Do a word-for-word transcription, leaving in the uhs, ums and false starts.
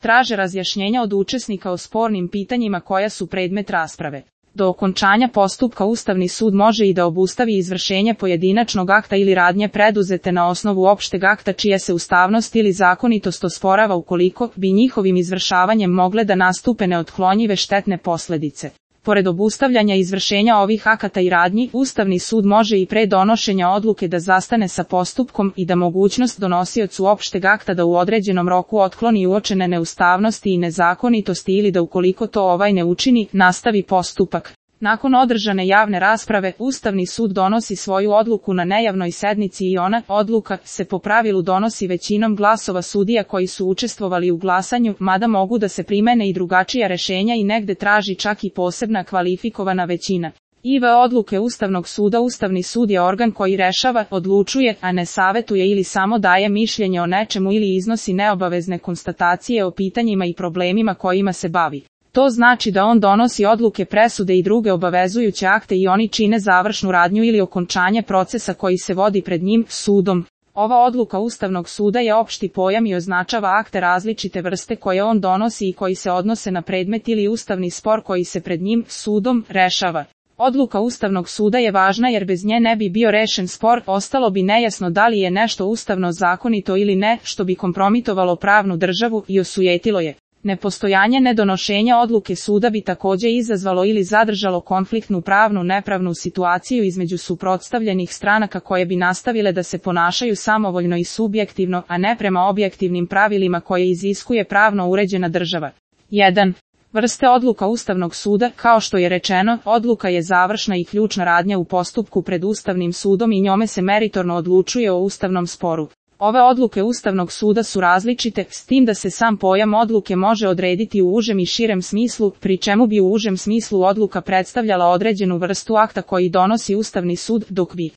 traže razjašnjenja od učesnika o spornim pitanjima koja su predmet rasprave. Do okončanja postupka Ustavni sud može i da obustavi izvršenje pojedinačnog akta ili radnje preduzete na osnovu opšteg akta čija se ustavnost ili zakonitost osporava ukoliko bi njihovim izvršavanjem mogle da nastupe neotklonjive štetne posledice. Pored obustavljanja izvršenja ovih akata i radnji, Ustavni sud može i pre donošenja odluke da zastane sa postupkom i da mogućnost donosiocu opšteg akta da u određenom roku otkloni uočene neustavnosti i nezakonitosti ili da ukoliko to ovaj ne učini, nastavi postupak. Nakon održane javne rasprave, Ustavni sud donosi svoju odluku na nejavnoj sednici i ona, odluka, se po pravilu donosi većinom glasova sudija koji su učestvovali u glasanju, mada mogu da se primene i drugačija rešenja i negde traži čak i posebna kvalifikovana većina. I v odluke Ustavnog suda Ustavni sud je organ koji rešava, odlučuje, a ne savetuje ili samo daje mišljenje o nečemu ili iznosi neobavezne konstatacije o pitanjima i problemima kojima se bavi. To znači da on donosi odluke, presude i druge obavezujuće akte i oni čine završnu radnju ili okončanje procesa koji se vodi pred njim, sudom. Ova odluka Ustavnog suda je opšti pojam i označava akte različite vrste koje on donosi i koji se odnose na predmet ili ustavni spor koji se pred njim, sudom, rešava. Odluka Ustavnog suda je važna jer bez nje ne bi bio rešen spor, ostalo bi nejasno da li je nešto ustavno zakonito ili ne, što bi kompromitovalo pravnu državu i osujetilo je. Nepostojanje nedonošenja odluke suda bi takođe izazvalo ili zadržalo konfliktnu pravnu nepravnu situaciju između suprotstavljenih stranaka koje bi nastavile da se ponašaju samovoljno i subjektivno, a ne prema objektivnim pravilima koje iziskuje pravno uređena država. jedan. Vrste odluka Ustavnog suda. Kao što je rečeno, odluka je završna i ključna radnja u postupku pred Ustavnim sudom i njome se meritorno odlučuje o ustavnom sporu. Ove odluke Ustavnog suda su različite, s tim da se sam pojam odluke može odrediti u užem i širem smislu, pri čemu bi u užem smislu odluka predstavljala određenu vrstu akta koji donosi Ustavni sud, dok bi